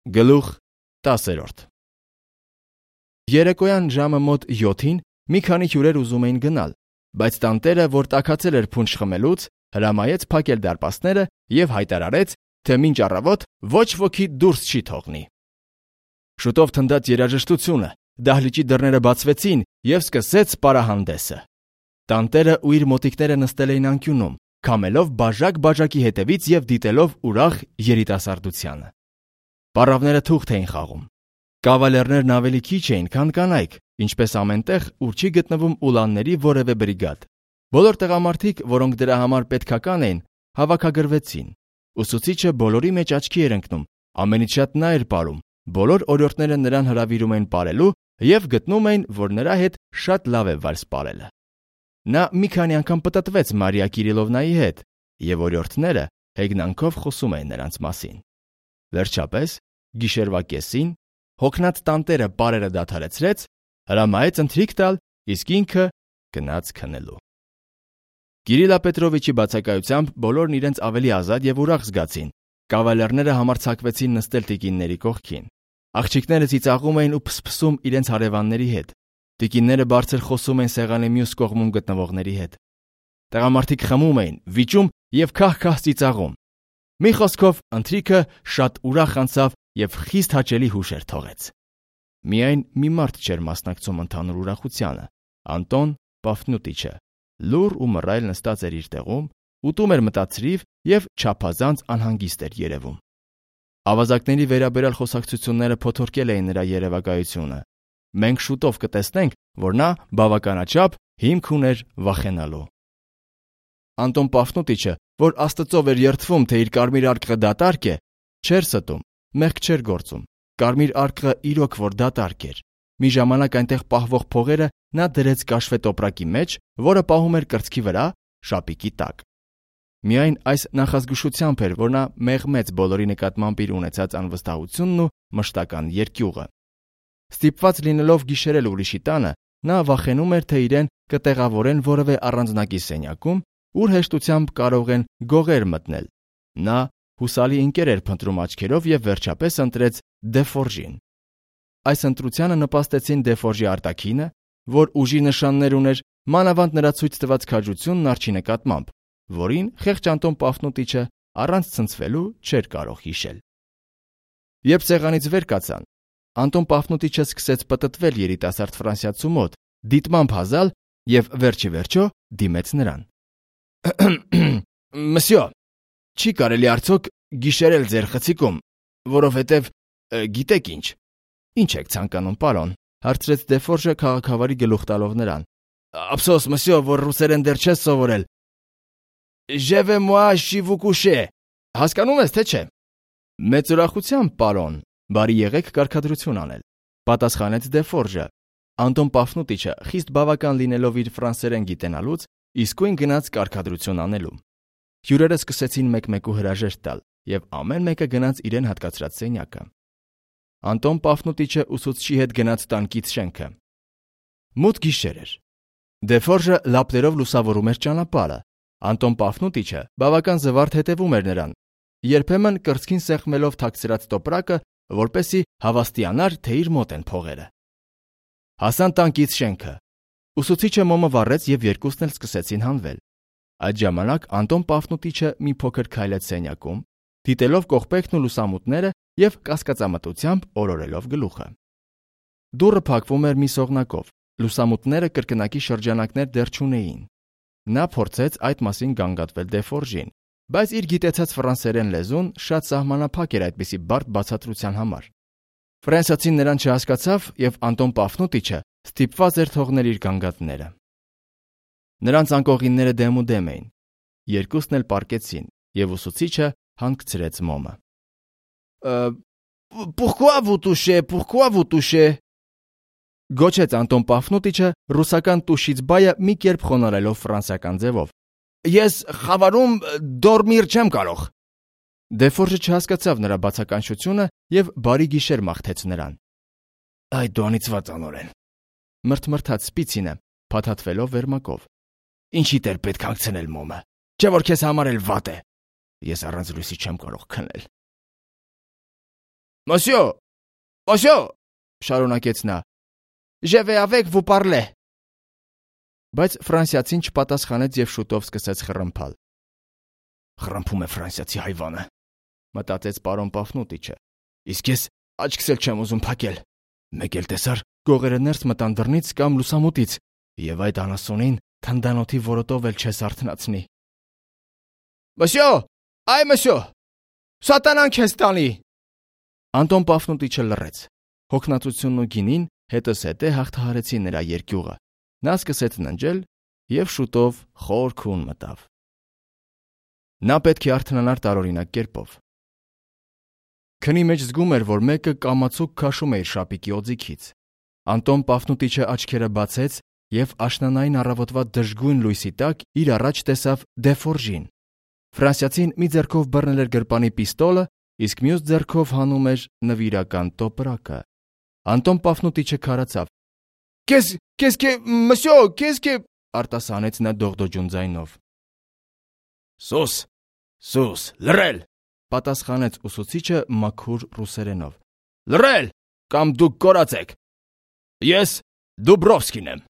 Գլուխ 10 Երեկոյան ժամը մոտ 7-ին մի քանի հյուրեր ուզում էին գնալ, բայց տանտերը, որ տաքացել էր փունջ խմելուց, հրամայեց փակել դարպասները եւ հայտարարեց, թե մինչ առավոտ ոչ ոքի դուրս չի թողնի։ Շուտով թնդաց երաժշտությունը, դահլիճի դռները բացվեցին եւ սկսեց պարահանդեսը։ Տանտերը ու իր մոտիկները նստել էին անկյունում, քամելով բաժակ-բաժակի հետևից եւ դիտելով ուրախ երիտասարդությանը։ Պառավները թուղթ էին խաղում։ Կավալերներն ավելի քիչ էին, քան կանայք, ինչպես ամենտեղ, ուր չի գտնվում ուլանների որևէ բրիգադ։ Բոլոր տղամարդիկ, որոնք դրա համար պետքական էին, հավաքագրվեցին։ Ուսուցիչը բոլորի մեջ աչքի էր ընկնում, ամենից շատ նա էր պարում։ Բոլոր օրիորդները նրան հրավիրում էին պարելու եւ գտնում էին, որ նրա հետ շատ լավ է վալս պարելը։ Նա մի քանի անգամ պտտվեց Մարիա Կիրիլովնայի հետ, եւ օրիորդները հեգնանքով խոսում էին նրանց մասին։ Վերջապես, գիշերվա կեսին, հոգնած տանտերը պարերը դադարեցրեց, հրամայեց ընթրիք տալ, իսկ ինքը գնաց քնելու։ Կիրիլա Պետրովիչի բացակայությամբ բոլորն իրենց ավելի ազատ եւ ուրախ զգացին։ Կավալերները համարձակվեցին նստել տիկինների կողքին։ Աղջիկները ծիծաղում էին ու փսփսում իրենց հարևանների հետ։ Տիկինները բարձր խոսում էին սեղանի մյուս կողմում գտնվողների հետ։ Տղամարդիկ խմում էին, վիճում եւ քահ-քահ ծիծաղում։ Մի խոսքով, ընթրիքը շատ ուրախ անցավ եւ խիստ հաճելի հուշեր թողեց։ Միայն մի մարդ չէր մասնակցում ընդհանուր ուրախությանը։ Անտոն Պաֆնուտիչը լուռ ու մռայլ նստած էր իր տեղում, ուտում էր մտածրիվ եւ չափազանց անհանգիստ էր երևում։ Ավազակների վերաբերյալ խոսակցությունները փոթորկել էին նրա երևակայությունը։ Մենք շուտով կտեսնենք, որ նա բավականաչափ հիմք ուներ վախենալու։ Անտոն Պաֆնուտիչը, որ Աստծով էր երդվում, թե իր կարմիր արկղը դատարկ է, չէր ստում, մեղք չէր գործում։ Կարմիր արկղը իրոք որ դատարկ էր։ Մի ժամանակ այնտեղ պահվող փողերը նա դրեց կաշվե տոպրակի մեջ, որը պահում էր կրծքի վրա, շապիկի տակ։ Միայն այս նախազգուշությամբ էր, որ նա մեղմեց բոլորի նկատմամբ իր ունեցած անվստահությունն ու մշտական երկյուղը։ Ստիպված լինելով գիշերել ուրիշի տանը, նա վախենում էր, թե իրեն կտեղավորեն որևէ առանձնակի սենյակում, ուր հեշտությամբ կարող են գողեր մտնել։ Նա հուսալի ընկեր էր փնտրում աչքերով եւ վերջապես ընտրեց Դեֆորժին։ Այս ընտրությանը նպաստեցին Դեֆորժի արտաքինը, որ ուժի նշաններ ուներ, մանավանդ նրա ցույց տված քաջությունն արջի նկատմամբ, որին խեղճ Անտոն Պաֆնուտիչը առանց ցնցվելու չէր կարող հիշել։ Երբ սեղանից վեր կացան, Անտոն Պաֆնուտիչը սկսեց պտտվել երիտասարդ ֆրանսիացու մոտ, դիտմամբ հազալ եւ վերջի վերջո դիմեց նրան։ Մսյո, չի կարելի արդյոք գիշերել ձեր խցիկում, որովհետև գիտեք ինչ։ Ինչ եք ցանկանում, պարոն, հարցրեց Դեֆորժը քաղաքավարի գլուխ տալով նրան։ Ափսոս, մսյո, որ ռուսերեն դեռ չես սովորել։ Je vais moi chez vous coucher։ Հասկանում ես, թե չէ։ Մեծ ուրախությամբ, պարոն, բարի եղեք կարգադրություն անել, պատասխանեց Դեֆորժը։ Անտոն Պաֆնուտիչը խիստ բավական լինելով իր ֆրանսերեն գիտենալուց, իսկույն գնաց կարգադրություն անելու։ Հյուրերը սկսեցին մեկ-մեկու հրաժեշտ տալ, եւ ամեն մեկը գնաց իրեն հատկացրած սենյակը։ Անտոն Պաֆնուտիչը ուսուցչի հետ գնաց տանկից շենքը։ Մութ գիշեր էր։ Դեֆորժը լապտերով լուսավորում էր ճանապարհը։ Անտոն Պաֆնուտիչը բավական զվարթ հետևում էր նրան, երբեմն կրծքին սեղմելով թաքցրած տոպրակը, որպեսզի հավաստիանար, թե իր մոտ են փողերը։ Հասան տանկից շենքը։ Ուսուցիչը մոմը վառեց եւ երկուսն էլ սկսեցին հանվել։ Այդ ժամանակ Անտոն Պաֆնուտիչը մի փոքր քայլեց սենյակում, դիտելով կողպեքն ու լուսամուտները եւ կասկածամտությամբ օրորելով գլուխը։ Դուռը փակվում էր մի սողնակով, լուսամուտները կրկնակի շրջանակներ դեռ չունեին։ Նա փորձեց այդ մասին գանգատվել Դեֆորժին, բայց իր գիտեցած ֆրանսերեն լեզուն շատ սահմանափակ էր այդպիսի բարդ բացատրության համար։ Ֆրանսիացին նրան չհասկացավ եւ Անտոն Պաֆնուտիչը ստիպված էր թողնել իր գանգատները։ Նրանց անկողինները դեմ էին։ Երկուսն էլ պառկեցին, եւ ուսուցիչը հանգցրեց մոմը։ Pourquoi vous touchez? Գոչեց Անտոն Պաֆնուտիչը ռուսական տուշից բայը մի կերպ խոնարհելով ֆրանսիական ձևով։ Ես խավարում դորմիր չեմ կարող։ Դեֆորժը չհասկացավ նրա բացականչությունը եւ բարի գիշեր մաղթեց նրան։ Այդ դու անիծված անորեն։ Մրթմրթաց Սպիցինը, փաթաթվելով վերմակով։ Ինչի դեր պետք հանգցնել մոմը։ Չէ որ քեզ համար էլ վատ է։ Ես առանց լույսի չեմ կարող քնել։ Monsieur, monsieur, շարունակեց նա. Je vais avec vous parler. Բայց ֆրանսիացին չպատասխանեց եւ շուտով սկսեց խռմփալ։ Խռմփում է ֆրանսիացի հայվանը, մտածեց պարոն Պաֆնուտիչը։ Իսկ ես աչքս էլ չեմ ուզում փակել։ Մեկ էլ տեսար, գողերը ներս մտան դռնից կամ լուսամուտից, եւ այդ անասունին թնդանոթի որոտով էլ չես արթնացնի։ Monsieur, այ monsieur, սատանան քեզ տանի։ Անտոն Պաֆնուտիչը լռեց։ Հոգնածությունն ու գինին հետզհետե հաղթահարեցին նրա երկյուղը։ Նա սկսեց ննջել եւ շուտով խոր քուն մտավ։ Նա պետք է արթնանար տարօրինակ կերպով։ Քնի մեջ զգում էր, որ մեկը կամացուկ քաշում է իր շապիկի օձիքից։ Անտոն Պաֆնուտիչը աչքերը բացեց եւ աշնանային առավոտվա դժգույն լույսի տակ իր առաջ տեսավ Դեֆորժին։ Ֆրանսիացին մի ձեռքով բռնել էր գրպանի պիստոլը, իսկ մյուս ձեռքով հանում էր նվիրական տոպրակը։ Անտոն Պաֆնուտիչը քարացավ։ Qu'est-ce que արտասանեց նա դողդոջուն ձայնով։ Սուս, լռել, պատասխանեց ուսուցիչը մաքուր ռուսերենով։ Լռել, կամ դուք կորած եք։ Ես Դուբրովսկին եմ։